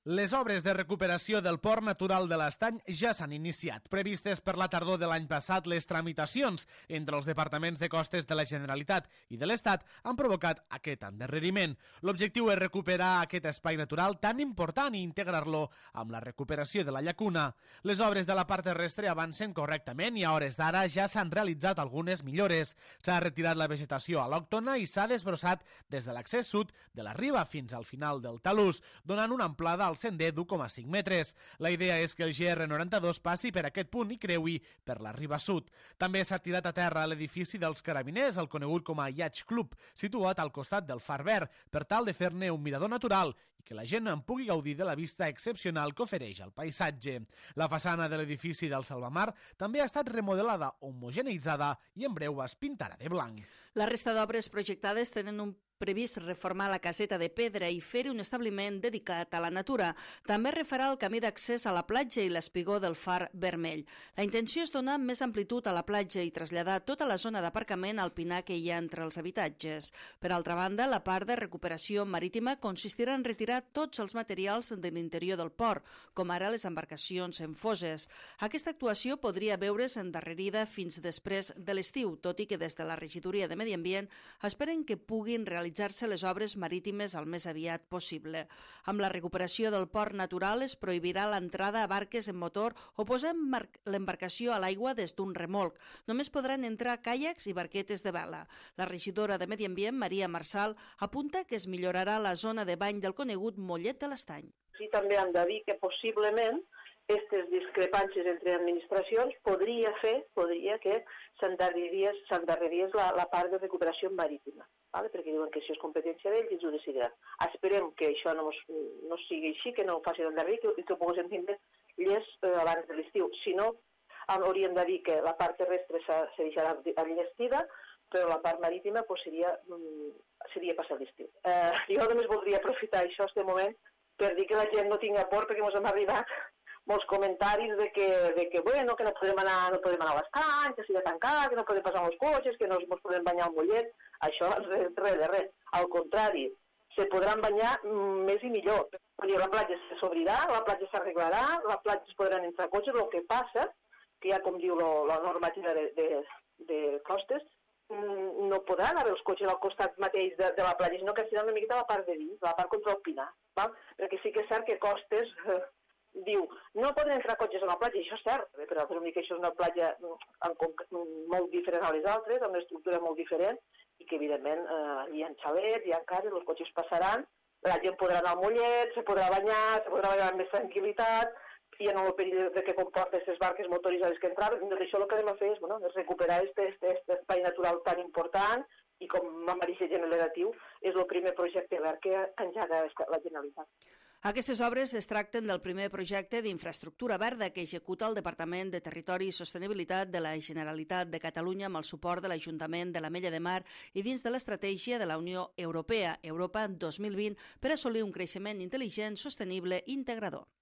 Les obres de recuperació del port natural de l'Estany ja s'han iniciat. Previstes per la tardor de l'any passat, les tramitacions entre els departaments de costes de la Generalitat i de l'Estat han provocat aquest endarreriment. L'objectiu és recuperar aquest espai natural tan important i integrar-lo amb la recuperació de la llacuna. Les obres de la part terrestre avancen correctament i a hores d'ara ja s'han realitzat algunes millores. S'ha retirat la vegetació al·lòctona i s'ha desbrossat des de l'accés sud de la riba fins al final del talús, donant una amplada al sender d'1,5 metres. La idea és que el GR92 passi per aquest punt i creui per la riba sud. També s'ha tirat a terra l'edifici dels Carabiners, el conegut com a Yacht Club, situat al costat del Far Verd, per tal de fer-ne un mirador natural i que la gent en pugui gaudir de la vista excepcional que ofereix el paisatge. La façana de l'edifici del Salvamar també ha estat remodelada, homogeneïtzada i en breu es pintarà de blanc. La resta d'obres projectades tenen previst reformar la caseta de pedra i fer-hi un establiment dedicat a la natura. També refarà el camí d'accés a la platja i l'espigó del Far Vermell. La intenció és donar més amplitud a la platja i traslladar tota la zona d'aparcament al pinar que hi ha entre els habitatges. Per altra banda, la part de recuperació marítima consistirà en retirar tots els materials de l'interior del port, com ara les embarcacions en foses. Aquesta actuació podria veure's endarrerida fins després de l'estiu, tot i que des de la Regidoria de Medi Ambient esperen que puguin realitzar les obres marítimes el més aviat possible. Amb la recuperació del port natural es prohibirà l'entrada a barques en motor o posar l'embarcació a l'aigua des d'un remolc. Només podran entrar caiacs i barquetes de vela. La regidora de Medi Ambient, Maria Marçal, apunta que es millorarà la zona de bany del conegut Mollet de l'Estany. Sí, també hem de dir que possiblement aquestes discrepàncies entre administracions podria que s'endarrerís la part de recuperació marítima. Vale? Perquè diuen que això és competència d'ells i ells ho decidiran. Esperem que això no sigui així, que no ho facin endarrerir i que ho poguem tindre abans de l'estiu. Si no, hauríem de dir que la part terrestre se deixarà enllestida, però la part marítima seria passar l'estiu. Jo només voldria aprofitar això, aquest moment, per dir que la gent no tingui por, perquè ens han arribat molts comentaris de que no podem anar a l'estany, que sigui tancat, que no podem passar amb els cotxes, que no ens podem banyar al Mollet. Això res de res. Al contrari, se podran banyar més i millor. La platja s'obrirà, la platja s'arreglarà, la platja es podran entrar cotxes. El que passa, que ja com diu la normativa de costes, no podran haver els cotxes al costat mateix de la platja, sinó que serà una miqueta a la part de dins, a la part contra el pinar. Perquè sí que és cert que Costes diu, no poden entrar cotxes a la platja, i això és cert, però que això és una platja molt diferent a les altres, amb una estructura molt diferent, i que evidentment hi ha xalets, hi ha cases, els cotxes passaran, la gent podrà anar al Mollet, se podrà banyar amb més tranquil·litat, i en el perill que comporta aquestes barques motoritzades que entraven. Això el que anem a fer és recuperar aquest espai natural tan important, i com a Marisa generatiu és el primer projecte verd que engega la Generalitat. Aquestes obres es tracten del primer projecte d'infraestructura verda que executa el Departament de Territori i Sostenibilitat de la Generalitat de Catalunya amb el suport de l'Ajuntament de l'Ametlla de Mar i dins de l'estratègia de la Unió Europea, Europa 2020, per assolir un creixement intel·ligent, sostenible i integrador.